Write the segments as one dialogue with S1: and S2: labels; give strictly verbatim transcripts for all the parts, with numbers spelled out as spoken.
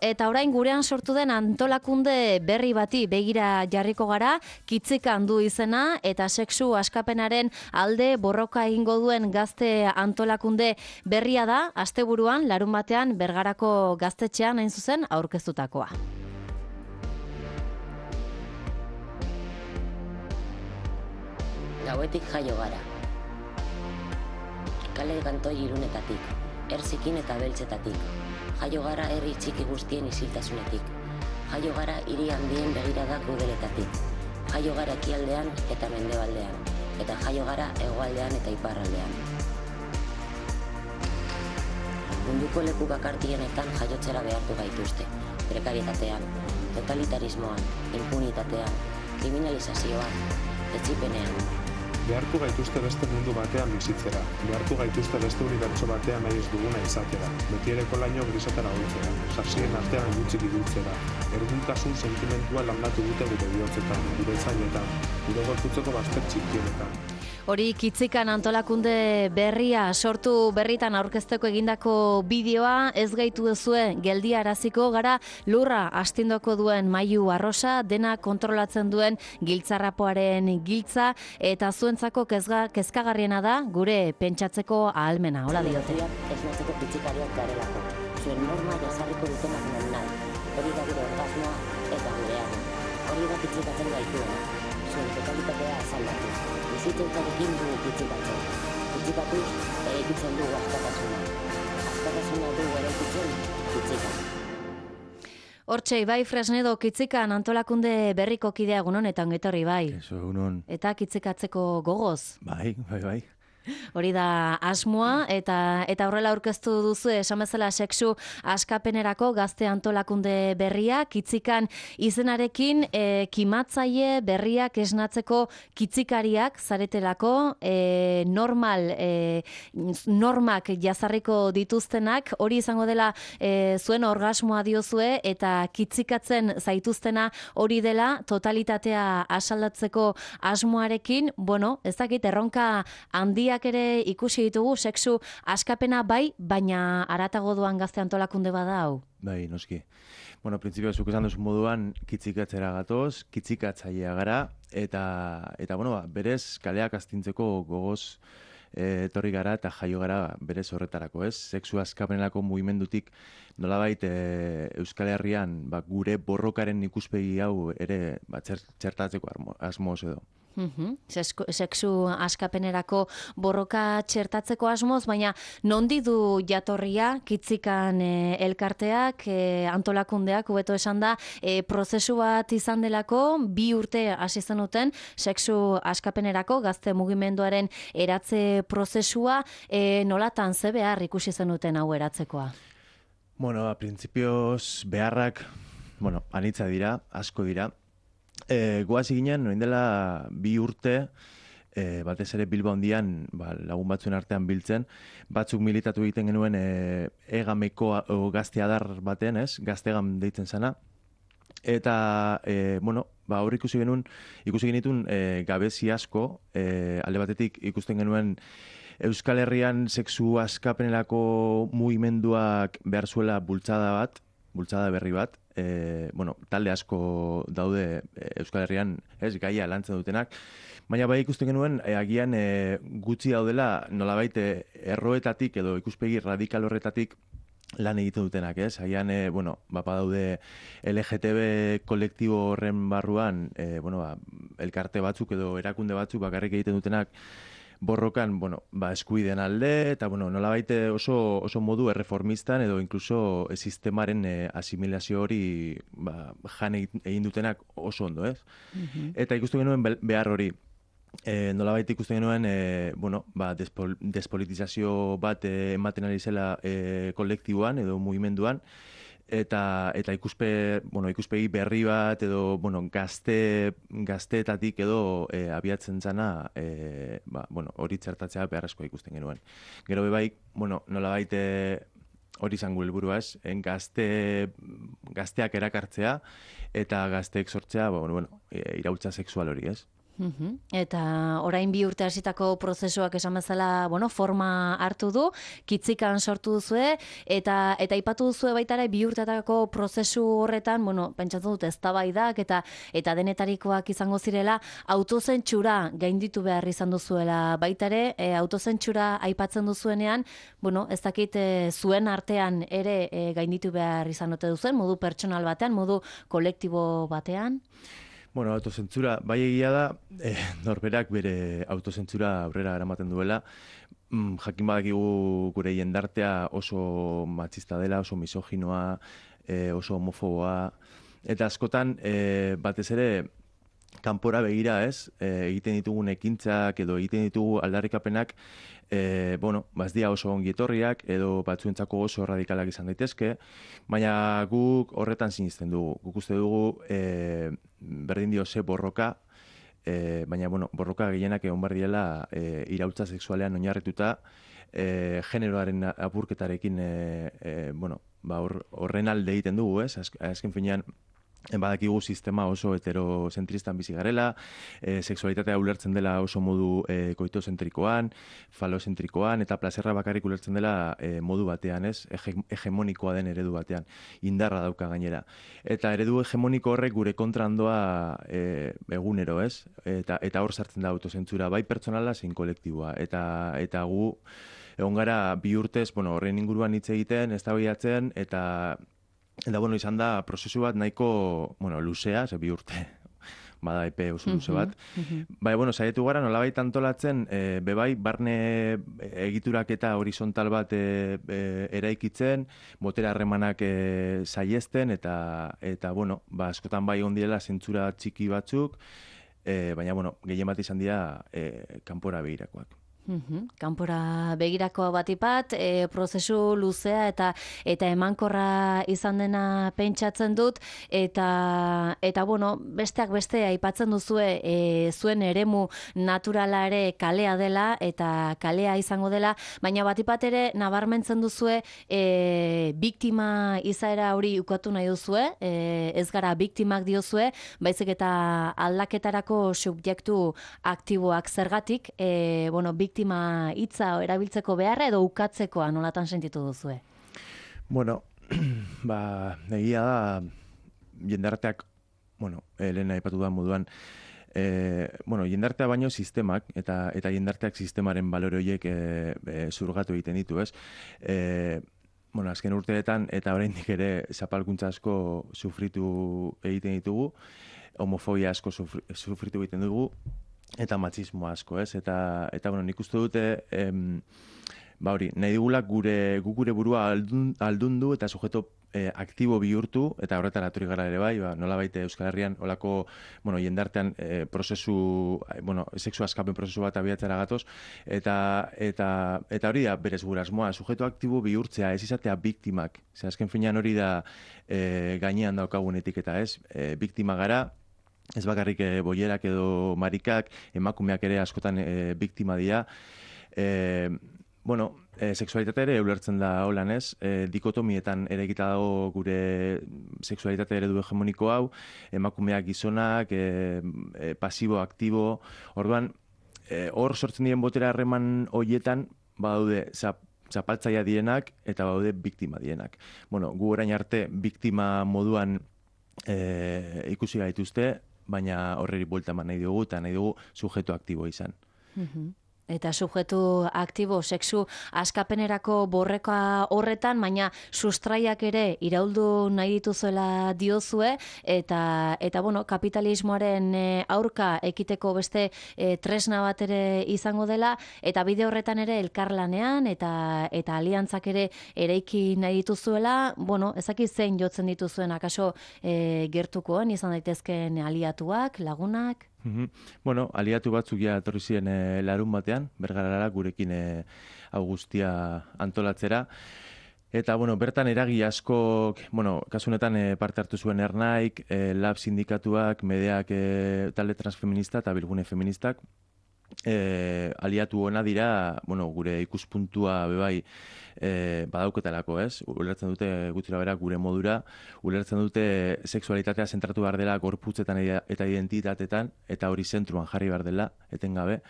S1: Eta orain gurean sortu den antolakunde berri bati begira jarriko gara, Kitzikan du izena eta sexu askapenaren alde borroka egingo duen gazte antolakunde berria da, asteburuan larun batean Bergarako gaztetxean hain zuzen aurkeztutakoa.
S2: Gauetik jaio gara. Kale kantoi irunetatik, erzikin eta beltzetatik. Jaio gara herri txiki guztien isiltasunetik. Jaio gara hiri handien begiradak udeletatik. Jaio gara ekialdean eta mendebaldean. Eta jaio gara hegoaldean eta iparraldean. Munduko leku bakartienetan jaiotzera behartu gaituzte. Prekarietatean, totalitarismoan, impunitatean, kriminalizazioan, etzipenean.
S3: Behartu gaituzte beste mundu batean bizitzera, behartu gaituzte beste unibertso batean nahi ez duguna izatera, betiereko laino grisatara holtzera, sasien artean gutxik ibiltzera, erduntasun sentimentua landatu dute gure bihotzetan, gure zainetan, gure gorputzeko bazter txikienetan.
S1: Hori Kitzikan antolakunde berria sortu berritan aurkezteko egindako bideoa, ez gaitu duzue geldiaraziko gara lurra astindoko duen Mailu Arrosa, dena kontrolatzen duen giltzarrapoaren giltza, eta zuentzako kezga, kezkagarriena da gure pentsatzeko ahalmena, hola diote.
S2: Ez natzeko pitzikariak garelako, zuen norma jasarriko dutenak non nahi, hori da gure orgasmoa eta gure ama, hori da pitzikatzen gaituena, zuen totalitatea azaldatu. Bizitzarekin dugu kitzikatzen. Kitzikatuz, eraikitzen dugu askatasuna. Askatasuna dugu eraikitzen, kitzikan.
S1: Hortxe, Ibai Fresnedo Kitzikan antolakunde berriko kidea egunon eta ongetorri bai.
S4: Eso, egunon.
S1: Eta kitzikatzeko gogoz.
S4: Bai, bai, bai.
S1: Hori da asmoa, eta eta horrela aurkeztu duzu esan bezala sexu askapenerako gazte antolakunde berria, Kitzikan izenarekin e, kimatzaile berriak esnatzeko kitzikariak zaretelako, e, normal e, normak jazarriko dituztenak, hori izango dela e, zuen orgasmoa diozue, eta kitzikatzen zaituztena hori dela totalitatea asaldatzeko asmoarekin, bueno, ez dakit erronka handia ere ikusi ditugu, sexu askapena bai, baina haratago doan gazte antolakunde bada hau.
S4: Bai, noski. Bueno, printzipio zuk esan duzu moduan kitzikatzera gatoz, kitzikatzailea gara, eta, eta bueno, ba, berez kaleak astintzeko gogoz e, etorri gara eta jaio gara berez horretarako, ez? Sexu askapenerako mugimendutik nolabait e, Euskal Herrian ba, gure borrokaren ikuspegi hau ere ba, txertatzeko asmoz edo.
S1: Uhum. Sexu askapenerako borroka txertatzeko asmoz, baina nondi du jatorria Kitzikan e, elkarteak, e, antolakundeak, hobeto esan da, e, prozesu bat izan delako, bi urte hasi zenuten sexu askapenerako gazte mugimenduaren eratze prozesua, e, nolatan ze behar ikusi zenuten hau eratzekoa?
S4: Bueno, a principios beharrak, bueno, anitza dira, asko dira. E, goaz ginen, noin dela bi urte, e, batez ere Bilbao handian ba, lagun batzuen artean biltzen, batzuk militatu egiten genuen e, egameko o, gazte adar baten, ez? Gaztegam deitzen zana. Eta, e, bueno, ba, hor ikusi genuen, ikusi genitun e, gabezi asko, e, alde batetik ikusten genuen Euskal Herrian sexu askapenerako mugimenduak behar zuela bultzada bat, bultzada berri bat, e, bueno, talde asko daude e, Euskal Herrian, ez, gaia lantzen dutenak, baina bai ikusten genuen, e, agian e, gutxi daudela nolabait e, erroetatik edo ikuspegi radikal horretatik lan egiten dutenak, ez? Agian, e, bueno, bapa daude L G T B kolektibo horren barruan, e, bueno, ba, elkarte batzuk edo erakunde batzuk bakarrik egiten dutenak, borrokan, bueno, ba, eskuideen alde, eta, bueno, nolabait oso, oso modu erreformistan edo inkluso e, sistemaren e, asimilazio hori ba, jan egin dutenak oso ondo, ez? Mm-hmm. Eta ikusten genuen behar hori. E, nolabait ikusten genuen, e, bueno, ba, despol, despolitizazio bat e, ematen ari zela e, kolektiboan edo mugimenduan, eta eta ikuspe, bueno, ikuspegi berri bat edo bueno, gazte gazteetatik edo e, abiatzen zana, e, ba, bueno, hori txertatzea beharrezkoa ikusten genuen. Gero bai, bueno, nolabait hori izango helburua, ez? En gazte gazteak erakartzea eta gazteek sortzea, ba, bueno, bueno, iraultza sexual hori, ez?
S1: Uhum. Eta orain bi urte hasitako prozesuak esan bezala, bueno, forma hartu du, kitzikan sortu duzue, eta eta aipatu duzue baita ere bi urtetako prozesu horretan, bueno, pentsatzen dut eztabaidak eta eta denetarikoak izango zirela, autozentsura gainditu behar izan duzuela baita ere, e, autozentsura aipatzen duzuenean, bueno, ez dakit e, zuen artean ere e, gainditu behar izan ote duzuen, modu pertsonal batean, modu kolektibo batean.
S4: Bueno, autozentzura, bai egia da, eh, norberak bere autozentzura aurrera eramaten duela. Mm, jakin badakigu gure jendartea oso matxista dela, oso misoginoa, eh, oso homofoboa. Eta askotan, eh, batez ere, kanpora begira, ez? E, egiten ditugun ekintzak edo egiten ditugu aldarrikapenak, e, bueno, bazdia oso ongi etorriak edo batzuentzako oso radikalak izan daitezke, baina guk horretan sinisten dugu. Guk uste dugu e, berdin dio ze borroka, e, baina bueno, borroka gehienak egon behar diela e, iraultza sexualean oinarrituta, e, generoaren apurketarekin e, e, bueno, ba, horren alde egiten dugu, ez? Azken finean, badakigu sistema oso heterozentristan bizi garela, e, sexualitatea ulertzen dela oso modu e, koitozentrikoan, falozentrikoan, eta plazerra bakarrik ulertzen dela e, modu batean, ez? Hege, hegemonikoa den eredu batean, indarra dauka gainera. Eta eredu hegemoniko horrek gure kontra handoa e, egunero, ez? Eta, eta hor sartzen da autozentzura, bai pertsonala zein kolektiboa. Eta, eta gu, egon gara bi urtez, bueno, horren inguruan hitz egiten, eztabaidatzen, eta Eta, bueno, izan da, prozesu bat nahiko, bueno, luzea, ze bi urte, bada epe oso luze bat. Uh-huh. Bai, bueno, saietu gara, nolabait antolatzen, e, bebai, barne egiturak eta horizontal bat e, e, eraikitzen, botera harremanak e, saiesten, eta, eta, bueno, ba, askotan bai ondiela zentzura txiki batzuk, e, baina, bueno, gehien bat izan dira e, kanpora begirakoak.
S1: Uhum. Kanpora begirako batipat, e, prozesu luzea eta eta emankorra izan dena pentsatzen dut, eta eta bueno, besteak beste aipatzen duzue e, zuen eremu naturala ere kalea dela eta kalea izango dela, baina batipat ere nabarmentzen duzue e, biktima izaera hori ukatu nahi duzue, e, ez gara biktimak diozue, baizik eta aldaketarako subjektu aktiboak zergatik, e, bueno, biktima hitza erabiltzeko beharra edo ukatzekoa nolatan sentitu duzue?
S4: Bueno, ba, egia da jendarteak, bueno, Elena aipatu da moduan, e, bueno, jendartea baino sistemak eta eta jendarteak sistemaren balore horiek e, e, zurgatu egiten ditu, ez? E, bueno, azken urteetan eta oraindik ere zapalkuntza asko sufritu egiten ditugu, homofobia asko sufri, sufritu egiten dugu, eta matxismo asko, ez? Eta, eta bueno, nik uste dute, em, ba hori, nahi digula gure, gu gure burua aldun, aldundu eta sujeto eh, aktibo bihurtu, eta horretara atori gara ere bai, ba, nola baite Euskal Herrian, olako, bueno, jendartean eh, prozesu, bueno, sexu askapen prozesu bat abiatzera gatoz, eta, eta, eta hori da berez gure asmoa, sujeto aktibo bihurtzea, ez izatea biktimak. Zer, azken finean hori da eh, gainean daukagun etiketa, ez? Eh, biktima gara, ez bakarrik e, boierak edo marikak, emakumeak ere askotan e, biktima dira. E, bueno, e, sexualitate ere ulertzen da holan, ez? E, dikotomietan ere egita dago gure sexualitate eredu hegemoniko hau, emakumeak gizonak, e, e, pasibo, aktibo, orduan, e, hor sortzen diren botera harreman hoietan, badaude, zap, zapaltzaia dienak eta badaude biktima dienak. Bueno, gu orain arte biktima moduan e, ikusi gaituzte, baina horreri buelta eman nahi dugu eta nahi dugu sujeto aktibo izan.
S1: Uh-huh. Eta sujetu aktibo, sexu askapenerako borreka horretan, baina sustraiak ere irauldu nahi dituzuela diozue, eta, eta bueno, kapitalismoaren aurka ekiteko beste e, tresna bat ere izango dela, eta bide horretan ere elkarlanean, eta, eta aliantzak ere ereiki nahi dituzuela, bueno, ezaki zein jotzen dituzuen, akaso e, gertukoen izan daitezkeen aliatuak, lagunak?
S4: Mm-hmm. Bueno, aliatu batzuk ja etorri ziren e, larun batean, Bergarara gurekin e, hau guztia antolatzera. Eta, bueno, bertan eragi asko, bueno, kasunetan e, parte hartu zuen Ernaik, e, Lab sindikatuak, Medeak e, talde transfeminista eta Bilgune feministak. e, aliatu ona dira, bueno, gure ikuspuntua bebai e, badauketalako, ez? Ulertzen dute gutxira bera gure modura, ulertzen dute sexualitatea zentratu behar dela gorputzetan eta identitatetan, eta hori zentruan jarri behar dela, etengabe,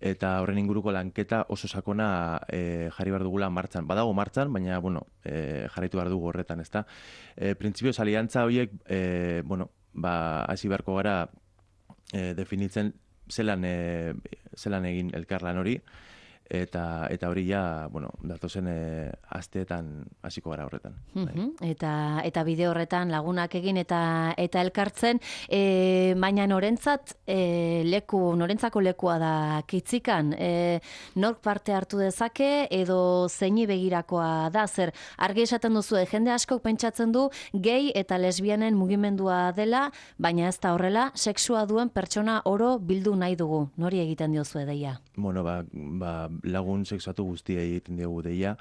S4: eta horren inguruko lanketa oso sakona e, jarri behar dugula martxan. Badago martxan, baina, bueno, e, jarraitu behar dugu horretan, ezta? E, Printzipioz, aliantza horiek, e, bueno, ba, hasi beharko gara e, definitzen zelan, e, zelan egin elkarlan hori, eta eta hori ja, bueno, datozen e, asteetan hasiko gara horretan.
S1: Uh-huh. Eta eta bide horretan lagunak egin eta eta elkartzen, e, baina norentzat e, leku, norentzako lekua da Kitzikan, e, nork parte hartu dezake edo zeini begirakoa da, zer argi esaten duzu, jende askok pentsatzen du gay eta lesbianen mugimendua dela, baina ez da horrela, sexua duen pertsona oro bildu nahi dugu. Nori egiten diozu deia?
S4: Bueno, ba, ba lagun sexuatu guztiei egiten diogu deia.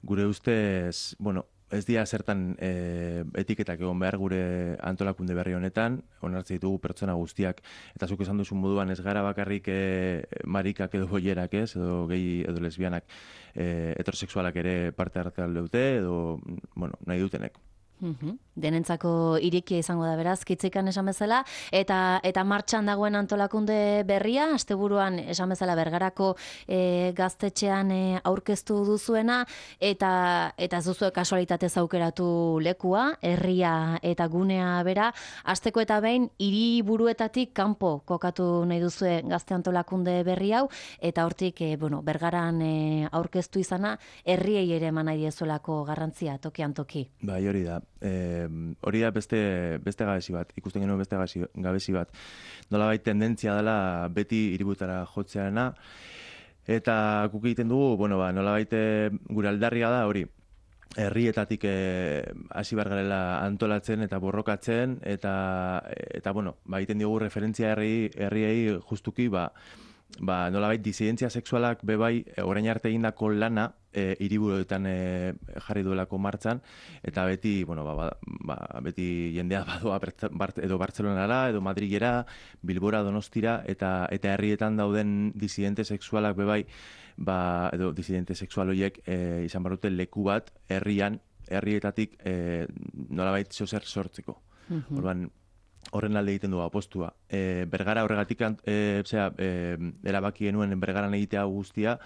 S4: Gure ustez, bueno, ez dira zertan e, etiketak egon behar gure antolakunde berri honetan, onartzen ditugu pertsona guztiak, eta zuk esan duzun moduan ez gara bakarrik e, marikak edo boierak ez, edo gehi edo lesbianak, e, heterosexualak ere parte hartzea dute, edo, bueno, nahi dutenek.
S1: Uhum. Denentzako irikia izango da beraz, Kitzikan esan bezala, eta eta martxan dagoen antolakunde berria, asteburuan esan bezala Bergarako e, gaztetxean e, aurkeztu duzuena, eta eta ez duzue kasualitatez aukeratu lekua, herria eta gunea bera, asteko eta behin hiriburuetatik kanpo kokatu nahi duzue gazte antolakunde berri hau, eta hortik e, bueno, Bergaran e, aurkeztu izana, herriei ere eman nahi diezuelako garrantzia tokian toki.
S4: Bai, hori da. E, hori da beste, beste gabezi bat, ikusten genuen beste gabezi, gabezi bat. Nolabait tendentzia dela beti hiributara jotzearena, eta guk egiten dugu, bueno, ba, nolabait gure aldarria da hori, herrietatik hasi behar garela antolatzen eta borrokatzen, eta, eta bueno, ba, egiten diogu referentzia herri, herriei justuki, ba, ba, nolabait disidentzia sexualak bebai orain arte egindako lana e, hiriburuetan e, jarri duelako martxan, eta beti, bueno, ba, ba, beti jendea badoa edo Bartzelonara, edo Madrilera, Bilbora, Donostira, eta eta herrietan dauden disidente sexualak bebai, ba, edo disidente sexual horiek e, izan barrute leku bat herrian, herrietatik e, nolabait zozer sortzeko. Mm-hmm. Orduan, horren alde egiten du apostua. E, Bergara horregatik e, zera, e, erabaki genuen Bergaran egitea guztia,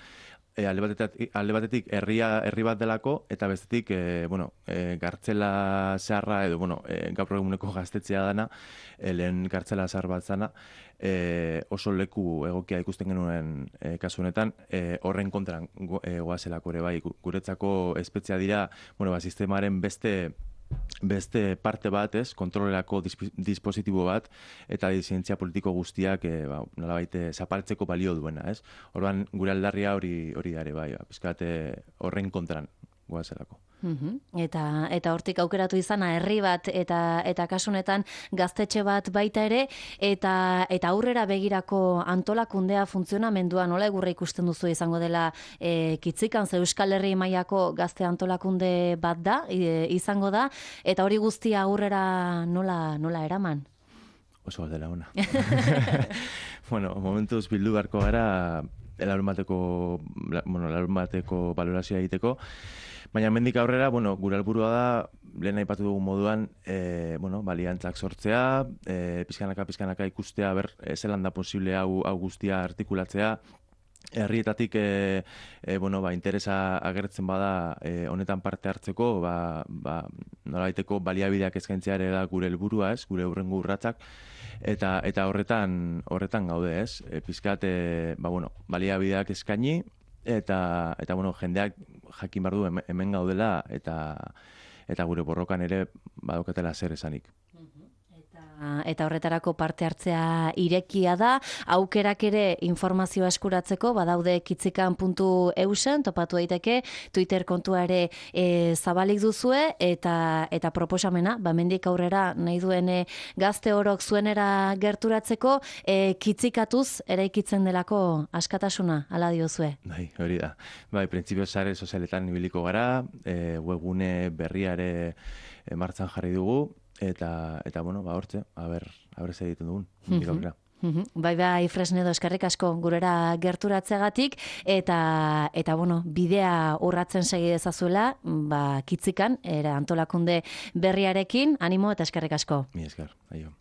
S4: e, alde batetik, alde batetik herria herri bat delako, eta bestetik e, bueno, e, gartzela zaharra, edo bueno, e, gaur eguneko gaztetzea dana, e, lehen gartzela zahar bat zana, e, oso leku egokia ikusten genuen e, kasu honetan, e, horren kontran go, e, goazelako ere bai, guretzako espetzia dira, bueno, ba, sistemaren beste beste parte bat, ez, kontrolerako dispositibo bat, eta disidentzia politiko guztiak e, ba, nolabait zapaltzeko balio duena, ez? Orduan, gure aldarria hori hori dare, bai, ba, pizkat horren kontran goazelako.
S1: Uhum. Eta eta hortik aukeratu izana herri bat eta eta kasunetan gaztetxe bat baita ere, eta eta aurrera begirako antolakundea funtzionamendua nola egurra ikusten duzu izango dela e, Kitzikan, ze Euskal Herri mailako gazte antolakunde bat da, e, izango da, eta hori guztia aurrera nola nola eraman?
S4: Oso galdera ona. Bueno, momentuz bildu beharko gara larun bateko, bueno, larun bateko balorazioa egiteko. Baina mendik aurrera, bueno, gure helburua da, lehen aipatu dugu moduan, e, bueno, baliantzak sortzea, e, pizkanaka pizkanaka ikustea, ber, zelan da posible hau, hau guztia artikulatzea, herrietatik e, e, bueno, ba, interesa agertzen bada e, honetan parte hartzeko, ba, ba, nolabaiteko baliabideak eskaintzea ere da gure helburua, ez, gure hurrengo urratsak, eta eta horretan horretan gaude, ez, e, pizkat, e, ba, bueno, baliabideak eskaini, eta eta bueno, jendeak jakin behar du hemen gaudela, eta eta gure borrokan ere badaukatela zer esanik.
S1: Eta horretarako parte hartzea irekia da, aukerak ere informazioa eskuratzeko, badaude kitzikan puntu eusen, topatu daiteke, Twitter kontua ere e, zabalik duzue, eta eta proposamena, bamendik aurrera nahi duen e, gazte orok zuenera gerturatzeko, e, kitzikatuz eraikitzen delako askatasuna, ala diozue.
S4: Bai, hori da. Bai, printzipio sare sozialetan ibiliko gara, e, webgune berria ere e, martxan jarri dugu, Eta, eta bueno, ba, hortze, a ber, a ber, egiten dugun.
S1: Bai, bai, Fresnedo, eskerrik asko gurera gerturatzeagatik, eta, eta bueno, bidea urratzen segi dezazuela, ba, Kitzikan, era antolakunde berriarekin, animo eta eskerrik asko.
S4: Mi esker, aio.